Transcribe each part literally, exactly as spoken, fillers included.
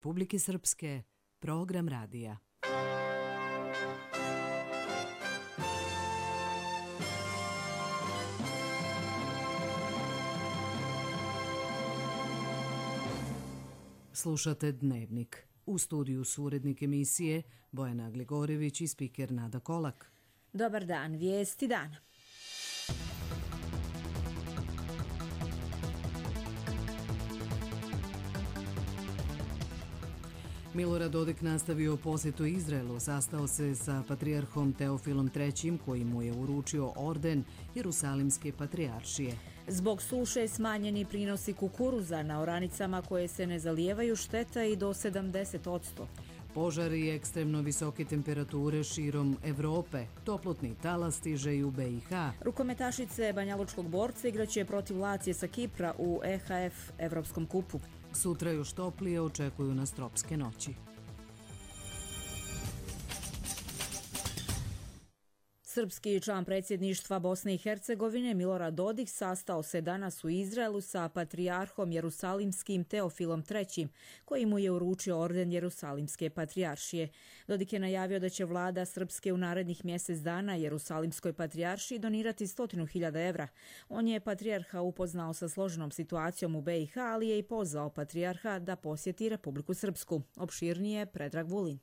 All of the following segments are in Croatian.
Republike Srpske, program radija. Slušate Dnevnik. U studiju su urednik emisije Bojana Gligorević i spiker Nada Kolak. Dobar dan, vijesti dana. Milorad Dodik nastavio posjetu Izraelu, sastao se sa patrijarhom Teofilom trećim koji mu je uručio orden Jerusalimske patrijaršije. Zbog suše smanjeni prinosi kukuruza na oranicama koje se ne zalijevaju šteta i do sedamdeset posto. Požari i ekstremno visoke temperature širom Evrope. Toplotni talas stiže i u B i H. Rukometašice banjalučkog borca igraće protiv Lacije sa Kipra u E H F Evropskom kupu. Sutra još toplije očekuju nas tropske noći. Srpski član predsjedništva Bosne i Hercegovine Milorad Dodik sastao se danas u Izraelu sa patrijarhom Jerusalimskim Teofilom trećim, koji mu je uručio orden Jerusalimske patrijaršije. Dodik je najavio da će vlada Srpske u narednih mjesec dana Jerusalimskoj patrijaršiji donirati stotinu hiljada evra. On je patrijarha upoznao sa složenom situacijom u B i H, ali je i pozvao patrijarha da posjeti Republiku Srpsku. Opširnije Predrag Vulin.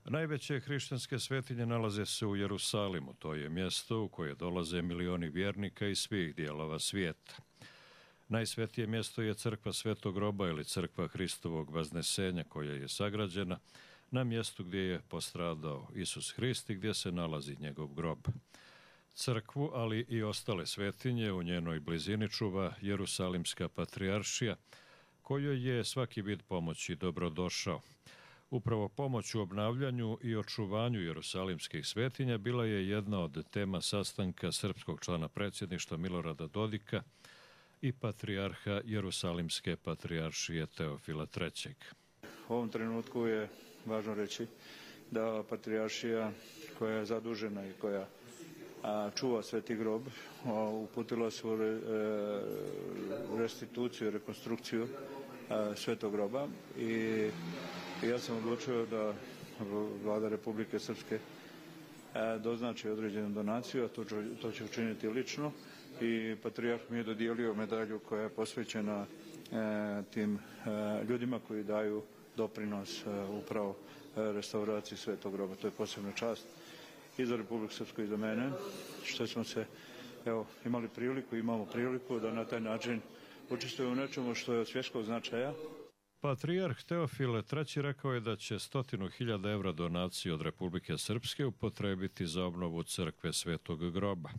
Najveće hrišćanske svetinje nalaze se u Jerusalimu, to je mjesto u koje dolaze milioni vjernika iz svih dijelova svijeta. Najsvetije mjesto je crkva Svetog groba ili crkva Hristovog vaznesenja koja je sagrađena na mjestu gdje je postradao Isus Hrist i gdje se nalazi njegov grob. Crkvu, ali i ostale svetinje u njenoj blizini čuva Jerusalimska patrijaršija, kojoj je svaki vid pomoći dobrodošao. Upravo pomoć u obnavljanju i očuvanju jerusalimskih svetinja bila je jedna od tema sastanka srpskog člana predsjedništva Milorada Dodika i patrijarha Jerusalimske patrijaršije Teofila trećeg. U ovom trenutku je važno reći da patrijaršija koja je zadužena i koja a, čuva Sveti grob a, uputila su re, e, restituciju, rekonstrukciju a, Svetog groba i ja sam odlučio da vlada Republike Srpske doznači određenu donaciju, a to, to će učiniti lično i patrijarh mi je dodijelio medalju koja je posvećena tim ljudima koji daju doprinos upravo restauraciji Svetog groba. To je posebna čast i za Republiku Srpsku i za mene, što smo se evo, imali priliku, imamo priliku da na taj način učestvujemo u nečemu što je od svjetskog značaja. Patrijarh Teofile treći rekao je da će stotinu hiljada evra donacije od Republike Srpske upotrebiti za obnovu crkve Svetog groba.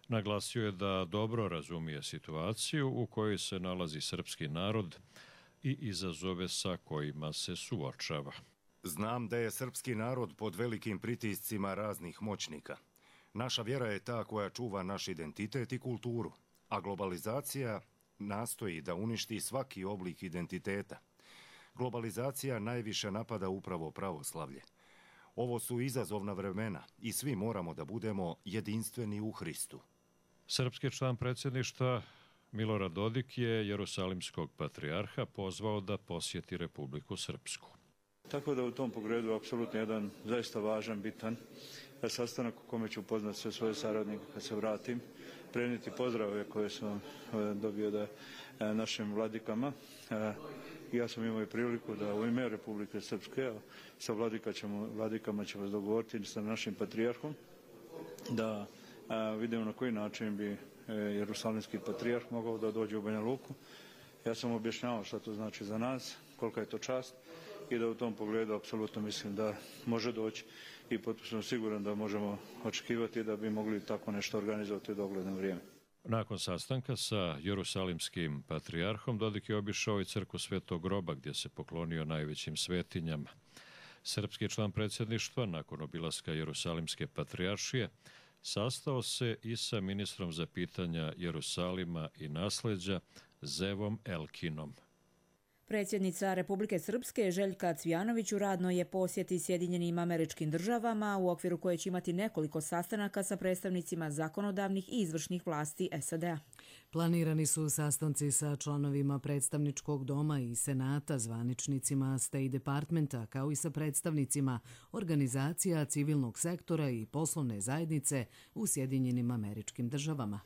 Naglasio je da dobro razumije situaciju u kojoj se nalazi srpski narod i izazove sa kojima se suočava. Znam da je srpski narod pod velikim pritiscima raznih moćnika. Naša vjera je ta koja čuva naš identitet i kulturu, a globalizacija nastoji da uništi svaki oblik identiteta. Globalizacija najviše napada upravo pravoslavlje. Ovo su izazovna vremena i svi moramo da budemo jedinstveni u Hristu. Srpski član predsjedništva Milorad Dodik je Jerusalimskog patrijarha pozvao da posjeti Republiku Srpsku. Tako da u tom pogledu apsolutno jedan zaista važan, bitan sastanak u kome ću upoznati sve svoje saradnike kad se vratim, prenijeti pozdrave koje sam dobio da našim vladikama. Ja sam imao i priliku da u ime Republike Srpske sa vladika ćemo, vladikama ćemo dogovoriti sa našim patrijarhom da vidimo na koji način bi Jerusalimski patrijarh mogao da dođe u Banja Luku. Ja sam objašnjavao šta to znači za nas, kolika je to čast i da u tom pogledu apsolutno mislim da može doći i potpuno siguran da možemo očekivati da bi mogli tako nešto organizovati u dogledno vrijeme. Nakon sastanka sa Jerusalimskim patrijarhom Dodik je obišao i crkvu Svetog groba gdje se poklonio najvećim svetinjama. Srpski član predsjedništva nakon obilaska Jerusalimske patrijaršije sastao se i sa ministrom za pitanja Jerusalima i nasleđa Zevom Elkinom. Predsjednica Republike Srpske Željka Cvijanović u radnoj je posjeti Sjedinjenim Američkim Državama u okviru koje će imati nekoliko sastanaka sa predstavnicima zakonodavnih i izvršnih vlasti S A D-a. Planirani su sastanci sa članovima predstavničkog doma i senata, zvaničnicima State Departmenta, kao i sa predstavnicima organizacija civilnog sektora i poslovne zajednice u Sjedinjenim Američkim Državama.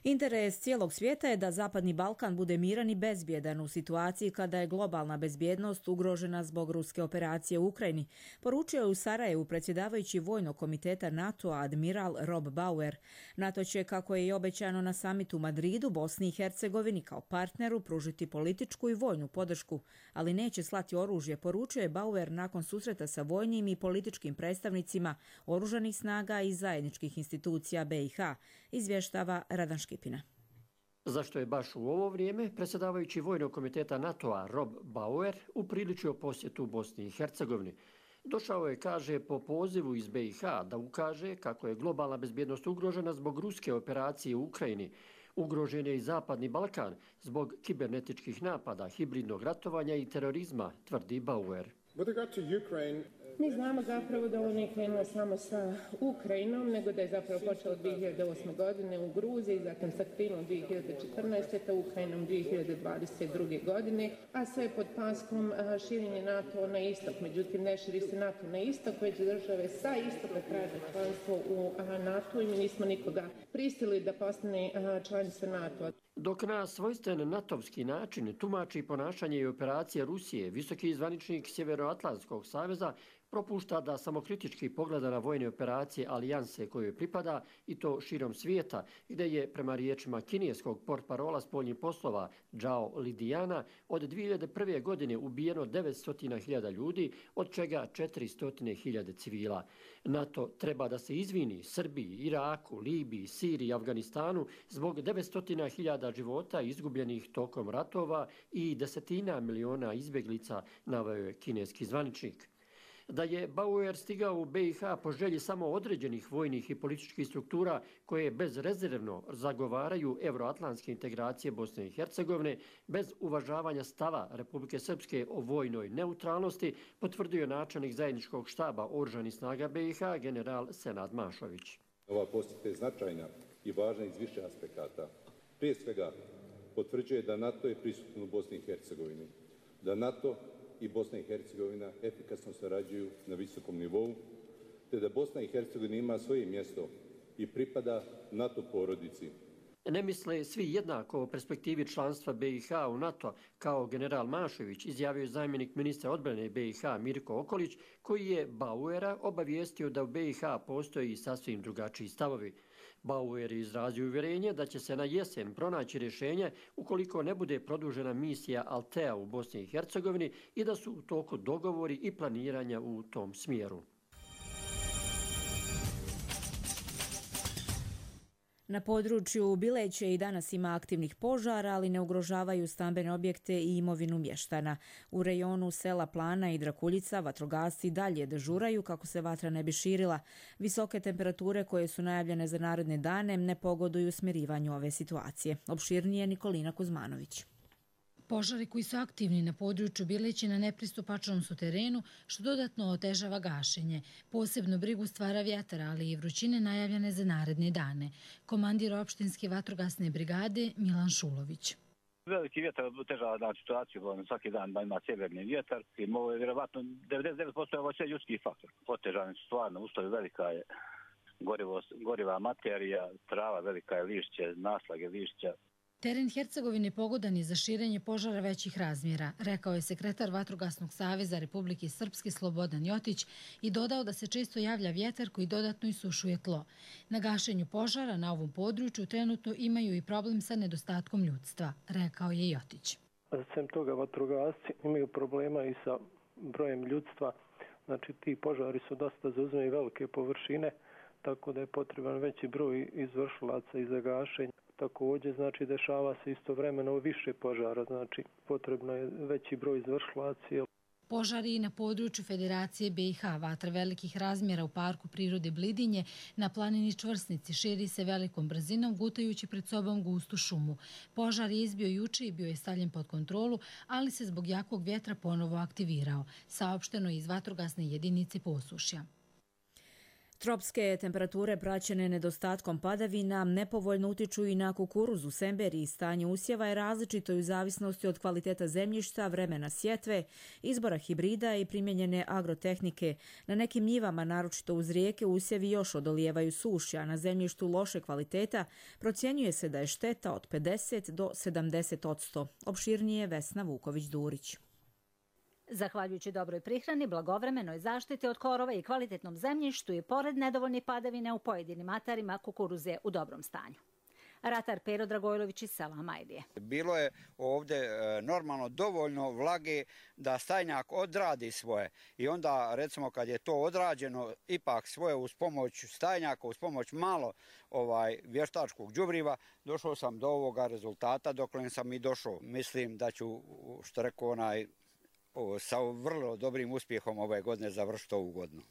Interes cijelog svijeta je da Zapadni Balkan bude miran i bezbjedan u situaciji kada je globalna bezbjednost ugrožena zbog ruske operacije u Ukrajini, poručio je u Sarajevu predsjedavajući Vojnog komiteta NATO-a admiral Rob Bauer. NATO će, kako je i obećano na samitu u Madridu, Bosni i Hercegovini kao partneru pružiti političku i vojnu podršku, ali neće slati oružje, poručio je Bauer nakon susreta sa vojnim i političkim predstavnicima oružanih snaga i zajedničkih institucija B i H, izvještava Radan Škipina. Zašto je baš u ovo vrijeme predsjedavajući Vojnog komiteta NATO-a Rob Bauer upriličio posjetu Bosni i Hercegovini? Došao je, kaže, po pozivu iz B i H da ukaže kako je globalna bezbjednost ugrožena zbog ruske operacije u Ukrajini. Ugrožen je i Zapadni Balkan zbog kibernetičkih napada, hibridnog ratovanja i terorizma, tvrdi Bauer. Mi znamo zapravo da ovo nije krenulo samo sa Ukrajinom, nego da je zapravo počelo dvije hiljade osme. godine u Gruziji, zatim sa Krimom dvije hiljade četrnaeste. te Ukrajinom dvije hiljade dvadeset druge. godine, a sve pod paskom širenje NATO na istok. Međutim, ne širi se NATO na istok, već države sa istoka traže članstvo u NATO i mi nismo nikoga prisilili da postane članica NATO. Dok na svojstven natovski način tumači ponašanje i operacije Rusije, visoki zvaničnik Sjevernoatlantskog saveza propušta da samokritički pogleda na vojne operacije alijanse kojoj pripada i to širom svijeta, gdje je, prema riječima kineskog portparola spoljnih poslova Zhao Lidijana, od dvije hiljade prve. godine ubijeno devetsto hiljada ljudi, od čega četiristo hiljada civila. NATO treba da se izvini Srbiji, Iraku, Libiji, Siriji i Afganistanu zbog devetsto hiljada života izgubljenih tokom ratova i desetina miliona izbjeglica, naveo je kineski zvaničnik. Da je Bauer stigao u B i H po želji samo određenih vojnih i političkih struktura koje bezrezervno zagovaraju euroatlantske integracije Bosne i Hercegovine, bez uvažavanja stava Republike Srpske o vojnoj neutralnosti, potvrdio je načelnik zajedničkog štaba oružanih snaga B i H general Senad Mašović. Ova posjeta je značajna i važna iz više aspekata. Prije svega, potvrđuje da NATO je prisutan u Bosni i Hercegovini, da NATO i Bosna i Hercegovina efikasno sarađuju na visokom nivou, te da Bosna i Hercegovina ima svoje mjesto i pripada NATO porodici. Ne misle svi jednako o perspektivi članstva B i H u NATO, kao general Mašević izjavio je zamjenik ministra odbrane B i H Mirko Okolić, koji je Bauera obavijestio da u B i H postoji i sasvim drugačiji stavovi. Bauer je izrazio uvjerenje da će se na jesen pronaći rješenje ukoliko ne bude produžena misija Altea u Bosni i Hercegovini i da su u toku dogovori i planiranja u tom smjeru. Na području Bileće i danas ima aktivnih požara, ali ne ugrožavaju stambene objekte i imovinu mještana. U rejonu sela Plana i Drakuljica vatrogasci dalje dežuraju kako se vatra ne bi širila. Visoke temperature koje su najavljene za naredne dane ne pogoduju smirivanju ove situacije. Opširnije Nikolina Kuzmanović. Požari koji su aktivni na području Bileći na nepristupačnom su terenu, što dodatno otežava gašenje. Posebno brigu stvara vjetar, ali i vrućine najavljene za naredne dane. Komandir opštinske vatrogasne brigade Milan Šulović. Veliki vjetar otežava na situaciju, svaki dan ima sjeverni vjetar i ovo je vjerovatno devedeset devet posto ovo sve ljudski faktor. Otežani su stvarno, uslovi velika je gorivo, goriva materija, trava velika je lišće, naslage lišća. Teren Hercegovine pogodan je za širenje požara većih razmjera, rekao je sekretar Vatrogasnog saveza Republike Srpske Slobodan Jotić i dodao da se često javlja vjetar koji dodatno isušuje tlo. Na gašenju požara na ovom području trenutno imaju i problem sa nedostatkom ljudstva, rekao je Jotić. Sem toga vatrogasci imaju problema i sa brojem ljudstva, znači ti požari su dosta zauzimaju velike površine, tako da je potreban veći broj izvršilaca i za gašenje. Također, znači, dešava se istovremeno više požara, znači potrebno je veći broj izvršilaca. Požari na području Federacije B i H, vatra velikih razmjera u parku prirode Blidinje, na planini Čvrsnici širi se velikom brzinom, gutajući pred sobom gustu šumu. Požar je izbio juče i bio je stavljen pod kontrolu, ali se zbog jakog vjetra ponovo aktivirao, saopšteno iz vatrogasne jedinice Posušja. Tropske temperature praćene nedostatkom padavina nepovoljno utiču i na kukuruz u Semberiji. Stanje usjeva je različito i u zavisnosti od kvaliteta zemljišta, vremena sjetve, izbora hibrida i primjenjene agrotehnike. Na nekim njivama, naročito uz rijeke, usjevi još odolijevaju suši, a na zemljištu loše kvaliteta procjenjuje se da je šteta od pedeset do sedamdeset odsto. Opširnije Vesna Vuković-Durić. Zahvaljujući dobroj prihrani, blagovremenoj zaštiti od korova i kvalitetnom zemljištu i pored nedovoljnih padavina u pojedinim atarima, kukuruz je u dobrom stanju. Ratar Pero Dragojlović iz sela Majlije. Bilo je ovdje normalno dovoljno vlage da stajnjak odradi svoje i onda recimo kad je to odrađeno ipak svoje uz pomoć stajnjaka, uz pomoć malo ovaj vještačkog đubriva, došao sam do ovoga rezultata dokle sam i došao. Mislim da ću, što rekao onaj, sa vrlo dobrim uspjehom ove godine završiti ovu godinu.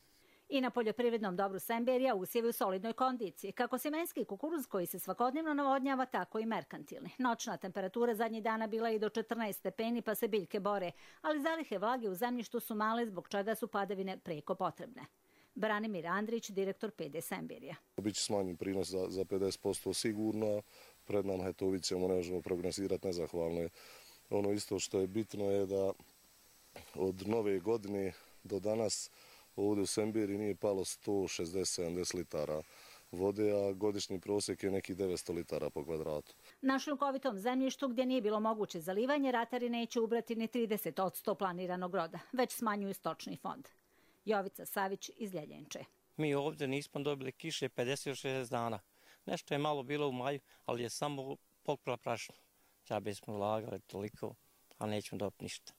I na poljoprivrednom dobru Semberija usjevi u solidnoj kondiciji. Kako sjemenski kukuruz koji se svakodnevno navodnjava, tako i merkantilni. Noćna temperatura zadnjih dana bila i do četrnaest stepeni, pa se biljke bore, ali zalihe vlage u zemljištu su male, zbog čega su padavine preko potrebne. Branimir Andrić, direktor P D Semberija. Biće smanjen prinos za, za pedeset posto sigurno, pred nama je to vidimo, ne možemo prognozirati, nezahvalno je. Ono isto što je bitno je da od nove godine do danas ovdje u Semberiji nije palo sto šezdeset do sedamdeset litara vode, a godišnji prosjek je nekih devetsto litara po kvadratu. Na šljunkovitom zemljištu gdje nije bilo moguće zalivanje, ratari neće ubrati ni trideset odsto planiranog roda, već smanjuju stočni fond. Jovica Savić iz Ljeljenče. Mi ovdje nismo dobili kiše pedeset do šezdeset dana. Nešto je malo bilo u maju, ali je samo pokupila prašinu. Ja bismo ulagali toliko, a nećemo dobiti ništa.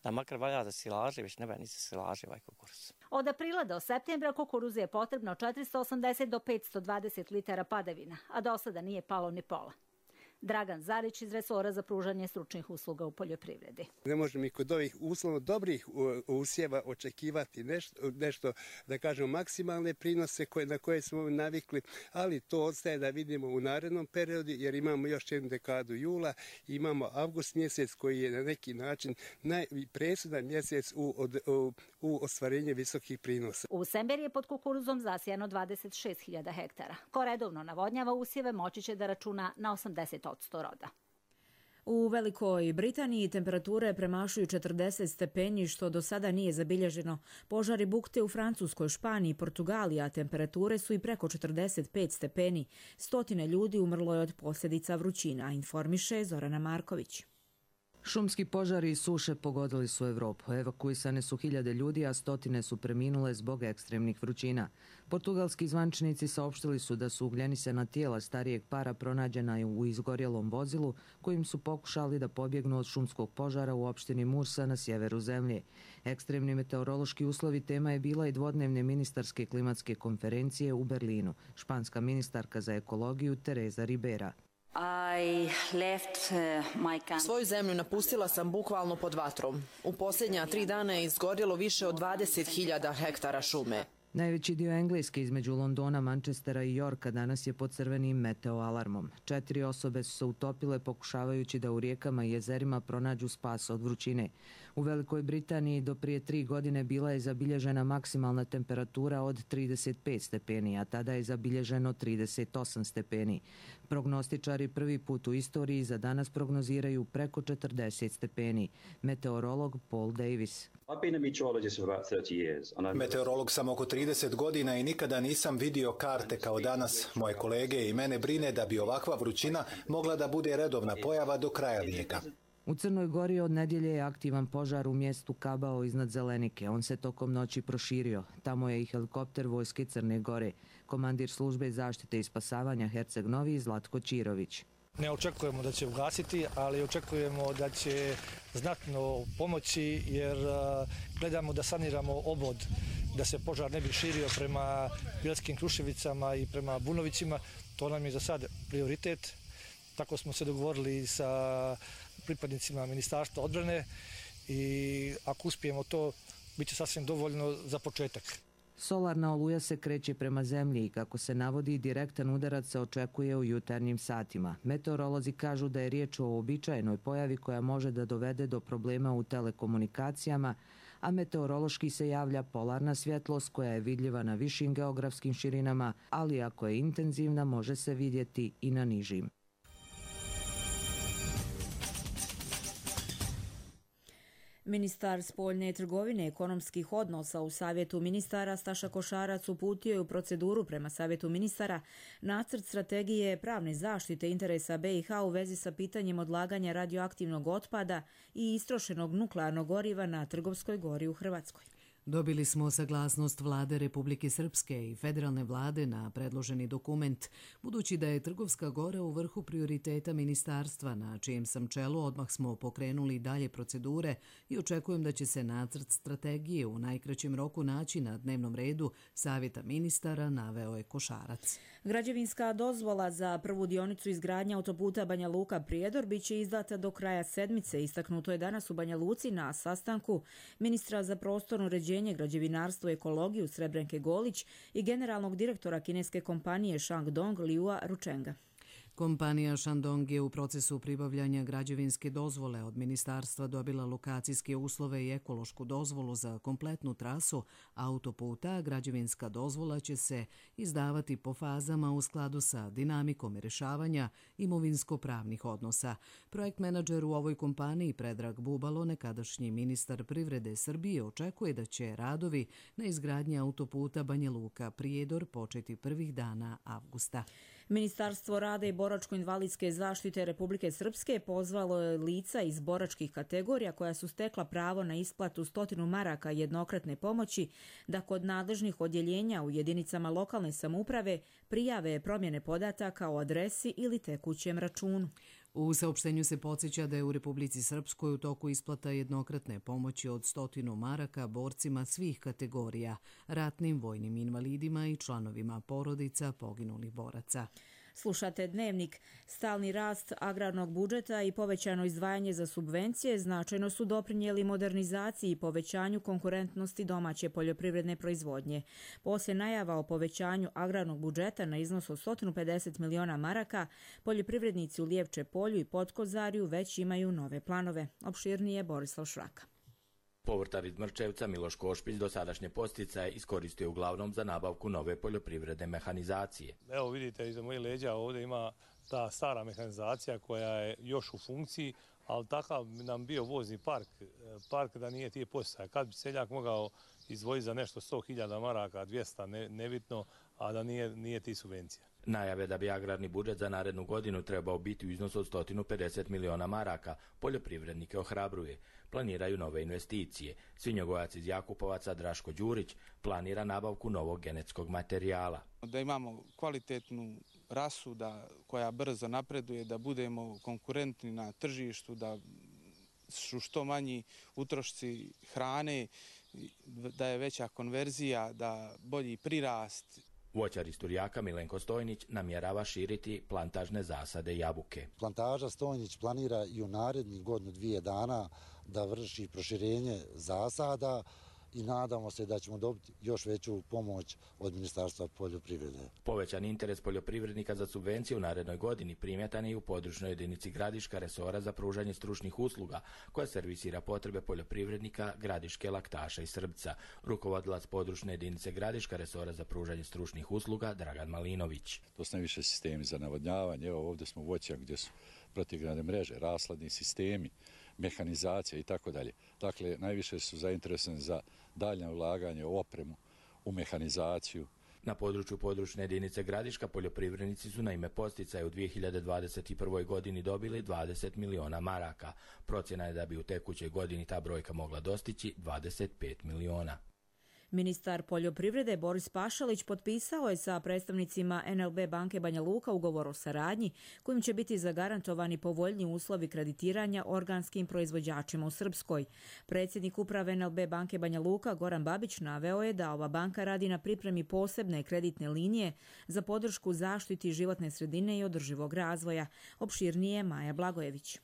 Da makar valja da silaže, već ne valja ni se silaže ovaj kukuruz. Od aprila do septembra kukuruzu je potrebno četiristo osamdeset do petsto dvadeset litara padavina, a do sada nije palo ni pola. Dragan Zarić iz resora za pružanje stručnih usluga u poljoprivredi. Ne možemo i kod ovih uslovno dobrih usjeva očekivati nešto, nešto da kažemo maksimalne prinose koje, na koje smo navikli, ali to ostaje da vidimo u narednom periodu jer imamo još jednu dekadu jula, imamo avgust mjesec koji je na neki način najpresudan mjesec u, od, u, u ostvarenju visokih prinosa. U Semberiji je pod kukuruzom zasijano dvadeset šest hiljada hektara. Ko redovno navodnjava usjeve moći će da računa na osamdeset odsto roda. U Velikoj Britaniji temperature premašuju četrdeset stepeni, što do sada nije zabilježeno. Požari bukte u Francuskoj, Španiji i Portugaliji, a temperature su i preko četrdeset pet stepeni. Stotine ljudi umrlo je od posljedica vrućina, informiše Zorana Marković. Šumski požari i suše pogodili su Evropu. Evakuisane su hiljade ljudi, a stotine su preminule zbog ekstremnih vrućina. Portugalski zvaničnici saopštili su da su ugljenisana tijela starijeg para pronađena u izgorjelom vozilu kojim su pokušali da pobjegnu od šumskog požara u opštini Mursa na sjeveru zemlje. Ekstremni meteorološki uslovi tema je bila i dvodnevne ministarske klimatske konferencije u Berlinu. Španska ministarka za ekologiju Teresa Ribera. Svoju zemlju napustila sam bukvalno pod vatrom. U posljednja tri dana je izgorjelo više od dvadeset hiljada hektara šume. Najveći dio Engleske između Londona, Manchestera i Yorka danas je pod crvenim meteoalarmom. Četiri osobe su se utopile pokušavajući da u rijekama i jezerima pronađu spas od vrućine. U Velikoj Britaniji do prije tri godine bila je zabilježena maksimalna temperatura od trideset pet stepeni, a tada je zabilježeno trideset osam stepeni. Prognostičari prvi put u istoriji za danas prognoziraju preko četrdeset stepeni. Meteorolog Paul Davis. Meteorolog sam oko trideset godina i nikada nisam vidio karte kao danas. Moje kolege i mene brine da bi ovakva vrućina mogla da bude redovna pojava do kraja vijeka. U Crnoj Gori od nedjelje je aktivan požar u mjestu Kabao iznad Zelenike. On se tokom noći proširio. Tamo je i helikopter vojske Crne Gore. Komandir službe zaštite i spasavanja Herceg Novi Zlatko Čirović. Ne očekujemo da će ugasiti, ali očekujemo da će znatno pomoći jer gledamo da saniramo obod, da se požar ne bi širio prema Bielskim Kruševicama i prema Bunovićima. To nam je za sad prioritet. Tako smo se dogovorili sa pripadnicima Ministarstva odbrane i ako uspijemo to, bit će sasvim dovoljno za početak. Solarna oluja se kreće prema zemlji i kako se navodi, direktan udarac se očekuje u jutarnjim satima. Meteorolozi kažu da je riječ o uobičajenoj pojavi koja može da dovede do problema u telekomunikacijama, a meteorološki se javlja polarna svjetlost koja je vidljiva na višim geografskim širinama, ali ako je intenzivna može se vidjeti i na nižim. Ministar spoljne trgovine i ekonomskih odnosa u Savjetu ministara Staša Košarac uputio je u proceduru prema Savjetu ministara nacrt strategije pravne zaštite interesa B i H u vezi sa pitanjem odlaganja radioaktivnog otpada i istrošenog nuklearnog goriva na Trgovskoj gori u Hrvatskoj. Dobili smo saglasnost Vlade Republike Srpske i federalne vlade na predloženi dokument, budući da je Trgovska gora u vrhu prioriteta ministarstva na čijem sam čelu, odmah smo pokrenuli dalje procedure i očekujem da će se nacrt strategije u najkraćem roku naći na dnevnom redu Savjeta ministara, naveo je Košarac. Građevinska dozvola za prvu dionicu izgradnje autoputa Banja Luka-Prijedor biće izdata do kraja sedmice, istaknuto je danas u Banja Luci na sastanku ministra za prostorno uređenje, građevinarstvo i ekologiju Srebrenke Golić i generalnog direktora kineske kompanije Shandong Liua Ruchenga. Kompanija Shandong je u procesu pribavljanja građevinske dozvole od ministarstva dobila lokacijske uslove i ekološku dozvolu za kompletnu trasu autoputa. Građevinska dozvola će se izdavati po fazama u skladu sa dinamikom rješavanja imovinsko-pravnih odnosa. Projekt menadžer u ovoj kompaniji Predrag Bubalo, nekadašnji ministar privrede Srbije, očekuje da će radovi na izgradnji autoputa Banja Luka-Prijedor početi prvih dana avgusta. Ministarstvo rada i boračko-invalidske zaštite Republike Srpske pozvalo je lica iz boračkih kategorija koja su stekla pravo na isplatu stotinu maraka jednokratne pomoći da kod nadležnih odjeljenja u jedinicama lokalne samouprave prijave promjene podataka o adresi ili tekućem računu. U saopštenju se podsjeća da je u Republici Srpskoj u toku isplata jednokratne pomoći od stotinu maraka borcima svih kategorija, ratnim vojnim invalidima i članovima porodica poginulih boraca. Slušate Dnevnik. Stalni rast agrarnog budžeta i povećano izdvajanje za subvencije značajno su doprinijeli modernizaciji i povećanju konkurentnosti domaće poljoprivredne proizvodnje. Poslije najava o povećanju agrarnog budžeta na iznos od sto pedeset miliona maraka, poljoprivrednici u Lijevče polju i Potkozarju već imaju nove planove. Opširnije Borislav Šraka. Povrtar iz Mrčevca Miloš Košpić dosadašnje posticaje iskoristio uglavnom za nabavku nove poljoprivredne mehanizacije. Evo vidite, iza mojih leđa ovdje ima ta stara mehanizacija koja je još u funkciji, ali takav nam bio vozni park, park da nije tije posticaja. Kad bi seljak mogao izdvojiti za nešto sto hiljada maraka, dvjesto, ne, nebitno, a da nije, nije ti subvencija. Najave da bi agrarni budžet za narednu godinu trebao biti u iznosu od sto pedeset miliona maraka, poljoprivrednike ohrabruje. Planiraju nove investicije. Svinjogojac iz Jakupovaca Draško Đurić planira nabavku novog genetskog materijala. Da imamo kvalitetnu rasu da, koja brzo napreduje, da budemo konkurentni na tržištu, da su što manji utrošci hrane, da je veća konverzija, da bolji prirast. Voćar iz Turjaka Milenko Stojnić namjerava širiti plantažne zasade jabuke. Plantaža Stojnić planira i u narednih godinu dvije dana da vrši proširenje zasada i nadamo se da ćemo dobiti još veću pomoć od Ministarstva poljoprivrede. Povećan interes poljoprivrednika za subvencije u narednoj godini primjetan je i u područnoj jedinici Gradiška resora za pružanje stručnih usluga, koja servisira potrebe poljoprivrednika Gradiške, Laktaša i Srbca. Rukovodilac područne jedinice Gradiška resora za pružanje stručnih usluga Dragan Malinović. To su najviše sistemi za navodnjavanje. Evo ovdje smo voćak gdje su protivgradne mreže, rasladni sistemi, mehanizacija i tako dalje. Dakle, najviše su zainteresovani za daljnje ulaganje u opremu, u mehanizaciju. Na području područne jedinice Gradiška poljoprivrednici su na ime posticaja u dvije hiljade dvadeset prvoj godini dobili dvadeset miliona maraka. Procjena je da bi u tekućoj godini ta brojka mogla dostići dvadeset pet miliona. Ministar poljoprivrede Boris Pašalić potpisao je sa predstavnicima N L B banke Banja Luka ugovor o saradnji kojim će biti zagarantovani povoljniji uslovi kreditiranja organskim proizvođačima u Srpskoj. Predsjednik uprave N L B banke Banja Luka Goran Babić naveo je da ova banka radi na pripremi posebne kreditne linije za podršku zaštiti životne sredine i održivog razvoja. Opširnije Maja Blagojević.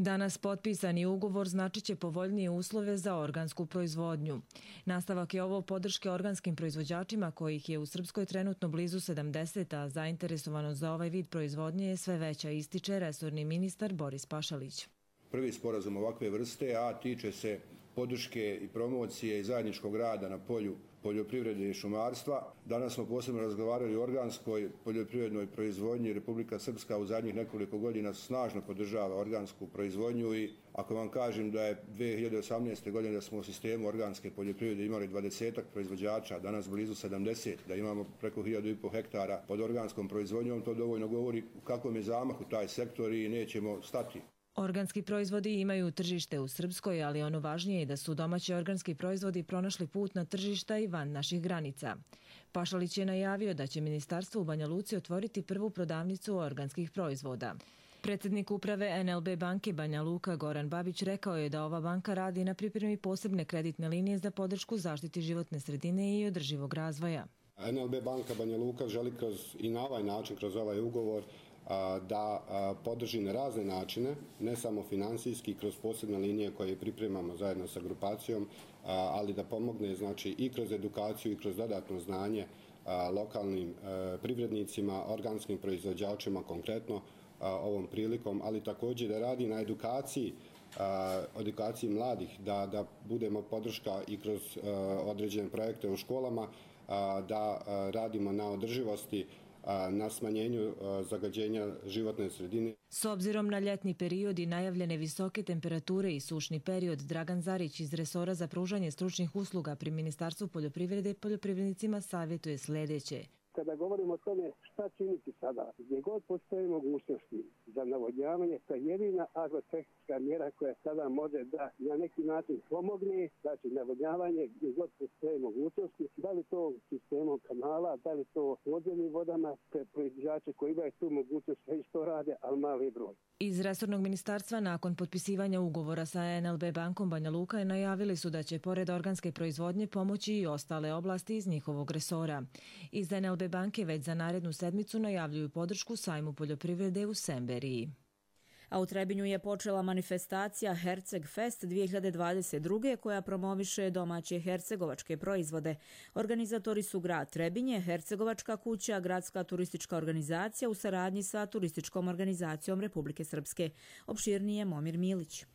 Danas potpisani ugovor značit će povoljnije uslove za organsku proizvodnju. Nastavak je ovo podrške organskim proizvođačima kojih je u Srpskoj trenutno blizu sedamdeset, a zainteresovanost za ovaj vid proizvodnje je sve veća, ističe resorni ministar Boris Pašalić. Prvi sporazum ovakve vrste, a tiče se podrške i promocije i zajedničkog rada na polju poljoprivrede i šumarstva. Danas smo posebno razgovarali o organskoj poljoprivrednoj proizvodnji. Republika Srpska u zadnjih nekoliko godina snažno podržava organsku proizvodnju i ako vam kažem da je dvije hiljade osamnaeste. godine da smo u sistemu organske poljoprivrede imali dvadesetak proizvođača, danas blizu sedamdeset, da imamo preko hiljadu i pol hektara pod organskom proizvodnjom, to dovoljno govori u kakvom je zamahu taj sektor i nećemo stati. Organski proizvodi imaju tržište u Srpskoj, ali ono važnije je da su domaći organski proizvodi pronašli put na tržišta i van naših granica. Pašalić je najavio da će ministarstvo u Banja Luci otvoriti prvu prodavnicu organskih proizvoda. Predsjednik uprave en el be banke Banja Luka Goran Babić rekao je da ova banka radi na pripremi posebne kreditne linije za podršku zaštiti životne sredine i održivog razvoja. en el be banka Banja Luka želi kroz, i na ovaj način, kroz ovaj ugovor, da podrži na razne načine, ne samo finansijski, kroz posebne linije koje pripremamo zajedno sa grupacijom, ali da pomogne znači, i kroz edukaciju i kroz dodatno znanje lokalnim privrednicima, organskim proizvođačima konkretno ovom prilikom, ali također da radi na edukaciji, edukaciji mladih, da, da budemo podrška i kroz određene projekte u školama, da radimo na održivosti, na smanjenju zagađenja životne sredine. S obzirom na ljetni period i najavljene visoke temperature i sušni period, Dragan Zarić iz resora za pružanje stručnih usluga pri Ministarstvu poljoprivrede poljoprivrednicima savjetuje sljedeće. Kada govorimo o tome šta činiti sada, gdje god postoje mogućnosti za navodnjavanje, to je jedina agrotehnička mjera koja sada može da na neki način pomogne, znači navodnjavanje gdje god postoje mogućnosti, da li to sistemom kanala, da li to podzemnim vodama, proizvođači koji imaju tu mogućnost već to rade, ali mali broj. Iz resornog ministarstva nakon potpisivanja ugovora sa en el be bankom Banja Luka najavili su da će pored organske proizvodnje pomoći i ostale oblasti iz njihovog resora. Iz en el be banke već za narednu sedmicu najavljuju podršku sajmu poljoprivrede u Semberiji. A u Trebinju je počela manifestacija Herceg Fest dvije hiljade dvadeset druge. koja promoviše domaće hercegovačke proizvode. Organizatori su grad Trebinje, Hercegovačka kuća, gradska turistička organizacija u saradnji sa turističkom organizacijom Republike Srpske. Opširnije Momir Milić.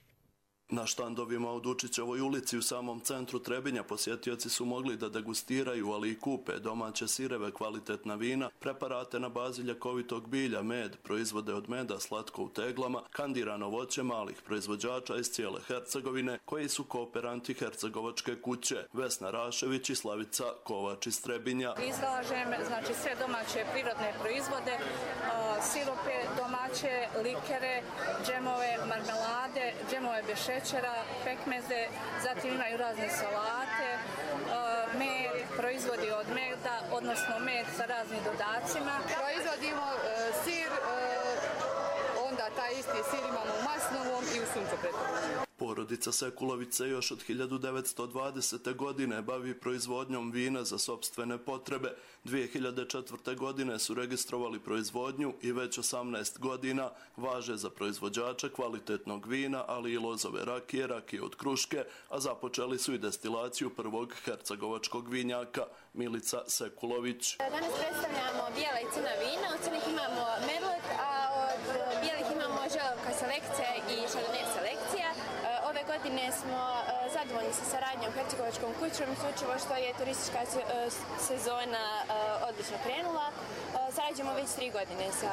Na štandovima u Dučićevoj ulici u samom centru Trebinja posjetioci su mogli da degustiraju, ali i kupe domaće sireve, kvalitetna vina, preparate na bazi ljekovitog bilja, med, proizvode od meda, slatko u teglama, kandirano voće malih proizvođača iz cijele Hercegovine, koji su kooperanti Hercegovačke kuće, Vesna Rašević i Slavica Kovač iz Trebinja. Izlažem znači, sve domaće prirodne proizvode, sirupe domaće, likere, džemove, marmelade, džemove bez šećera, pekmeze, zatim imaju razne salate, med, proizvodi od meda, odnosno med sa raznim dodacima. Proizvodimo sir, onda taj isti sir imamo u masnovom i u suncopretu. Porodica Sekulović se još od hiljadu devetsto dvadesete. godine bavi proizvodnjom vina za sopstvene potrebe. dvije hiljade četvrte. godine su registrovali proizvodnju i već osamnaest godina važe za proizvođača kvalitetnog vina, ali i lozove rakije, rakije od kruške, a započeli su i destilaciju prvog hercegovačkog vinjaka. Milica Sekulović. Danas predstavljamo bijela i crna vina, od crnih imamo merlot, a od bijelih imamo želovka selekcija i šardonnay selekcija. Ove godine smo zadovoljni sa saradnjom Hercegovačkom kućom, isključivo što je turistička sezona odlično krenula. Sarađujemo već tri godine sa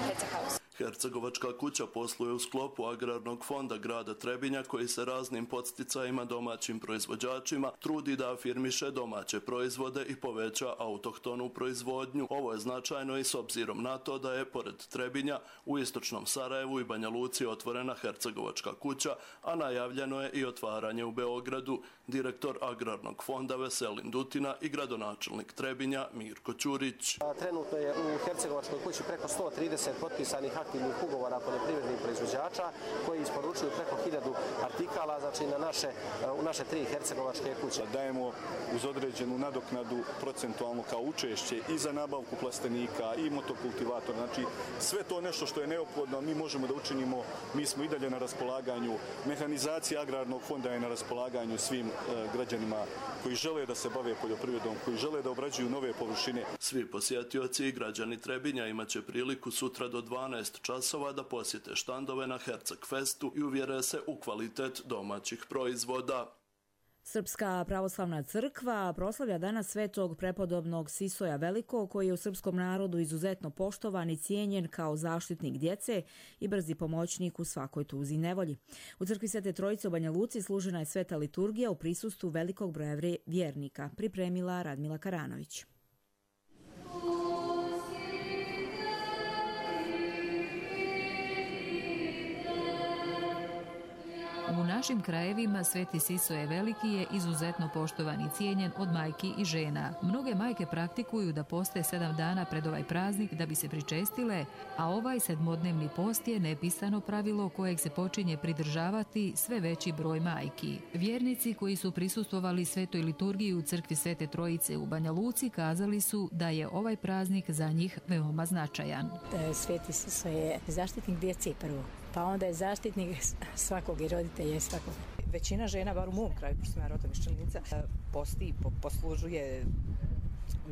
Hercehouse. Hercegovačka kuća posluje u sklopu Agrarnog fonda grada Trebinja, koji se raznim podsticajima domaćim proizvođačima trudi da afirmiše domaće proizvode i poveća autohtonu proizvodnju. Ovo je značajno i s obzirom na to da je pored Trebinja u istočnom Sarajevu i Banja Luci otvorena Hercegovačka kuća, a najavljeno je i otvaranje u Beogradu. Direktor Agrarnog fonda Veselin Dutina i gradonačelnik Trebinja Mirko Ćurić. Trenutno je u Hercegovačkoj kući preko sto trideset potpisanih aktivnih ugovora poljoprivrednih proizvođača koji isporučuju preko hiljadu artikala, znači na naše, u naše tri hercegovačke kuće. Dajemo uz određenu nadoknadu procentualno kao učešće i za nabavku plastenika i motokultivatora. Znači sve to nešto što je neophodno mi možemo da učinimo. Mi smo i dalje na raspolaganju. Mehanizacija Agrarnog fonda je na raspolaganju svim e, građanima koji žele da se bave poljoprivredom, koji žele da obrađuju nove površine. Svi posjetioci i građani Trebinja imaće priliku sutra do dvanaest časova da posjete štandove na Herceg Festu i uvjere se u kvalitet domaćih proizvoda. Srpska pravoslavna crkva proslavlja danas svetog prepodobnog Sisoja Velikog, koji je u srpskom narodu izuzetno poštovan i cijenjen kao zaštitnik djece i brzi pomoćnik u svakoj tuzi i nevolji. U crkvi Svete Trojice u Banja Luci služena je sveta liturgija u prisustvu velikog broja vjernika, pripremila Radmila Karanović. U našim krajevima Sveti Sisoje Veliki je izuzetno poštovan i cijenjen od majki i žena. Mnoge majke praktikuju da poste sedam dana pred ovaj praznik da bi se pričestile, a ovaj sedmodnevni post je nepisano pravilo kojeg se počinje pridržavati sve veći broj majki. Vjernici koji su prisustvovali svetoj liturgiji u crkvi Svete Trojice u Banja Luci kazali su da je ovaj praznik za njih veoma značajan. Sveti Siso je zaštitnik djece prvo, pa onda je zaštitnik svakog i roditelja i svakog. Većina žena, bar u mom kraju, pošto sam ja rodom iz Črnica, posti i poslužuje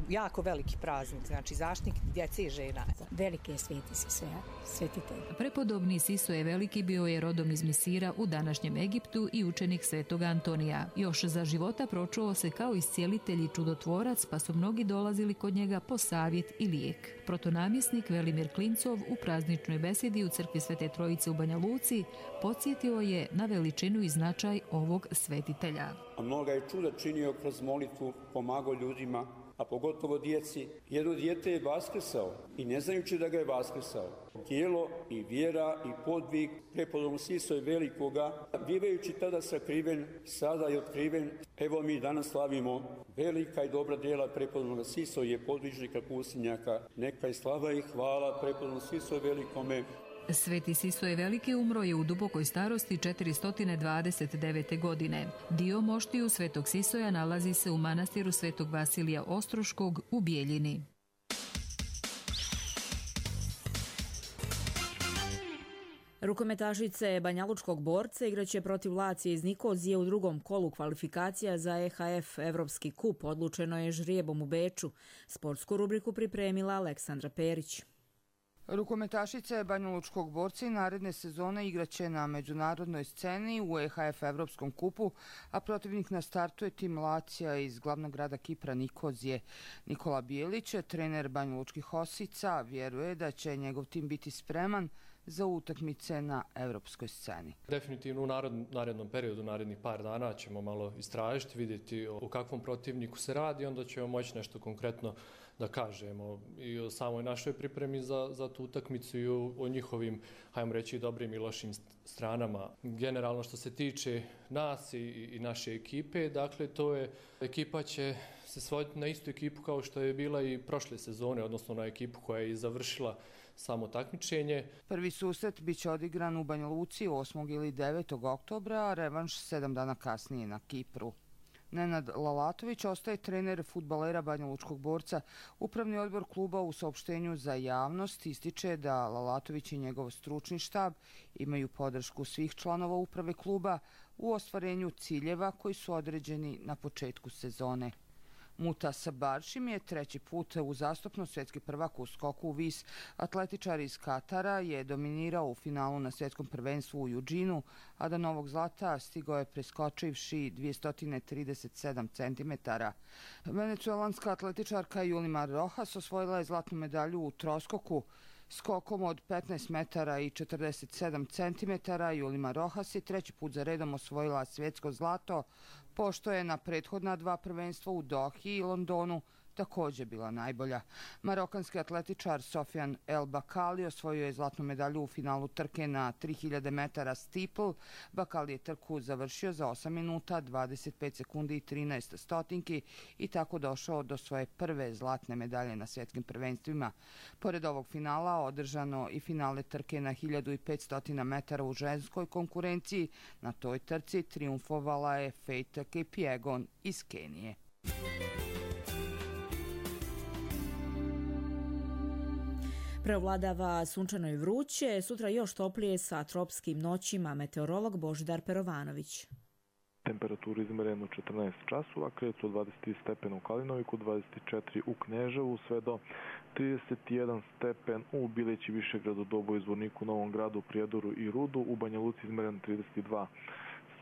jako veliki praznik, znači zaštitnik djece i žena. Veliki je Sveti Siso, svetitelj. Prepodobni Sisoje Veliki bio je rodom iz Misira u današnjem Egiptu i učenik Svetog Antonija. Još za života pročuo se kao iscijelitelj i čudotvorac, pa su mnogi dolazili kod njega po savjet i lijek. Protonamjesnik Velimir Klincov u prazničnoj besedi u crkvi Svete Trojice u Banja Luci podsjetio je na veličinu i značaj ovog svetitelja. A mnoga je čuda činio kroz molitvu, pomagao ljudima, a pogotovo djeci. Jedno dijete je vaskrsao i ne znajući da ga je vaskrsao. Tijelo i vjera i podvig prepodobnog Sisoja Velikoga, bivajući tada sakriven, sada je otkriven. Evo mi danas slavimo velika i dobra djela prepodobnog Sisoja, podvižnika pustinjaka. Neka je slava i hvala prepodobnog Sisoja Velikome. Sveti Sisoje Veliki umro je u dubokoj starosti četiristo dvadeset devete. godine. Dio moštiju Svetog Sisoja nalazi se u manastiru Svetog Vasilija Ostroškog u Bijeljini. Rukometašice Banjalučkog borca igraće protiv Lacije iz Nikozije u drugom kolu kvalifikacija za E H F Evropski kup. Odlučeno je žrijebom u Beču. Sportsku rubriku pripremila Aleksandra Perić. Rukometašice Banjalučkog borca i naredne sezone igraće na međunarodnoj sceni u E H F Evropskom kupu, a protivnik na startu je tim Lacija iz glavnog grada Kipra Nikozije. Nikola Bijelić, trener Banjalučkih Osica, vjeruje da će njegov tim biti spreman za utakmice na evropskoj sceni. Definitivno u narednom periodu, narednih par dana ćemo malo istražiti, vidjeti o kakvom protivniku se radi, onda ćemo moći nešto konkretno da kažemo i o samoj našoj pripremi za, za tu utakmicu i o, o njihovim, hajmo reći, dobrim i lošim stranama. Generalno što se tiče nas i, i naše ekipe, dakle to je, ekipa će se svoditi na istu ekipu kao što je bila i prošle sezone, odnosno na ekipu koja je završila samo takmičenje. Prvi susret biće odigran u Banja Luci osmog ili devetog oktobra, a revanš sedam dana kasnije na Kipru. Nenad Lalatović ostaje trener fudbalera Banjalučkog borca. Upravni odbor kluba u saopštenju za javnost ističe da Lalatović i njegov stručni štab imaju podršku svih članova uprave kluba u ostvarenju ciljeva koji su određeni na početku sezone. Mutas Baršim je treći put uzastopno svjetski prvak u skoku u vis. Atletičar iz Katara je dominirao u finalu na svjetskom prvenstvu u Euginu, a do novog zlata stigao je preskočivši dvjesto trideset sedam centimetara. Venecuelanska atletičarka Yulimar Rojas osvojila je zlatnu medalju u troskoku. Skokom od petnaest metara i četrdeset sedam centimetara Yulimar Rojas je treći put za redom osvojila svjetsko zlato, pošto je na prethodna dva prvenstva u Dohi i Londonu također bila najbolja. Marokanski atletičar Sofian El Bakali osvojio je zlatnu medalju u finalu trke na tri hiljade metara steeple. Bakali je trku završio za osam minuta, dvadeset pet sekundi i trinaest stotinki i tako došao do svoje prve zlatne medalje na svjetskim prvenstvima. Pored ovog finala održano i finale trke na hiljadu petsto metara u ženskoj konkurenciji. Na toj trci triumfovala je Faith Kipyegon iz Kenije. Preovladava sunčano i vruće, sutra još toplije sa tropskim noćima, meteorolog Božidar Perovanović. Temperaturu izmerenu četrnaest časova, kreću od dvadeset tri stepena u Kalinoviku, dvadeset četiri u Kneževu, sve do trideset jedan stepen u Bileći, Višegradu, Doboju, Zvorniku, Novom Gradu, Prijedoru i Rudu, u Banja Luci izmeren trideset dva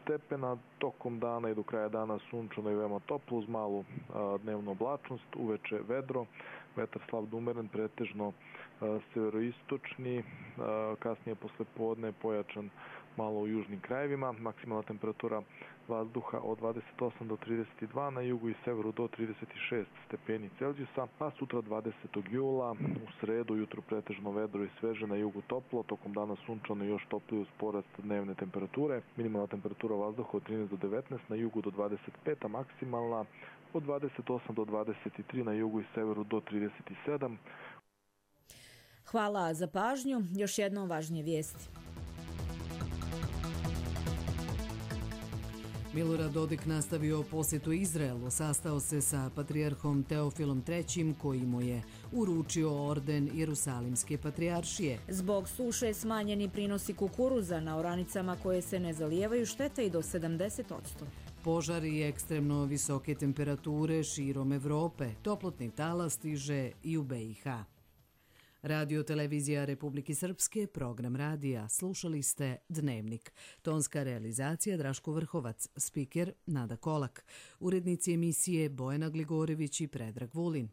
stepena, tokom dana i do kraja dana sunčano i veoma toplo uz malu dnevnu oblačnost, uveče vedro, vetar slab do umeren, pretežno severoistočni, kasnije posle podne pojačan malo u južnim krajevima, maksimalna temperatura vazduha od dvadeset osam do trideset dva, na jugu i severu do trideset šest stepeni Celzijusa, a sutra dvadesetog jula u sredu jutro pretežno vedro i sveže, na jugu toplo, tokom dana sunčano i još toplije uz porast dnevne temperature, minimalna temperatura vazduha od trinaest do devetnaest, na jugu do dvadeset pet, a maksimalna od dvadeset osam do dvadeset tri, na jugu i severu do trideset sedam. Hvala za pažnju. Još jednom važnije vijesti. Milorad Dodik nastavio posjetu Izraelu, sastao se sa patrijarhom Teofilom trećim koji mu je uručio orden Jerusalimske patrijaršije. Zbog suše smanjeni prinosi kukuruza na oranicama koje se ne zalijevaju štete i do sedamdeset posto. Požari i ekstremno visoke temperature širom Evrope, toplotni talas stiže i u B i H. Radio Televizija Republike Srpske, program radija. Slušali ste Dnevnik. Tonska realizacija Draško Vrhovac, spiker Nada Kolak. Urednici emisije Bojana Gligorević i Predrag Vulin.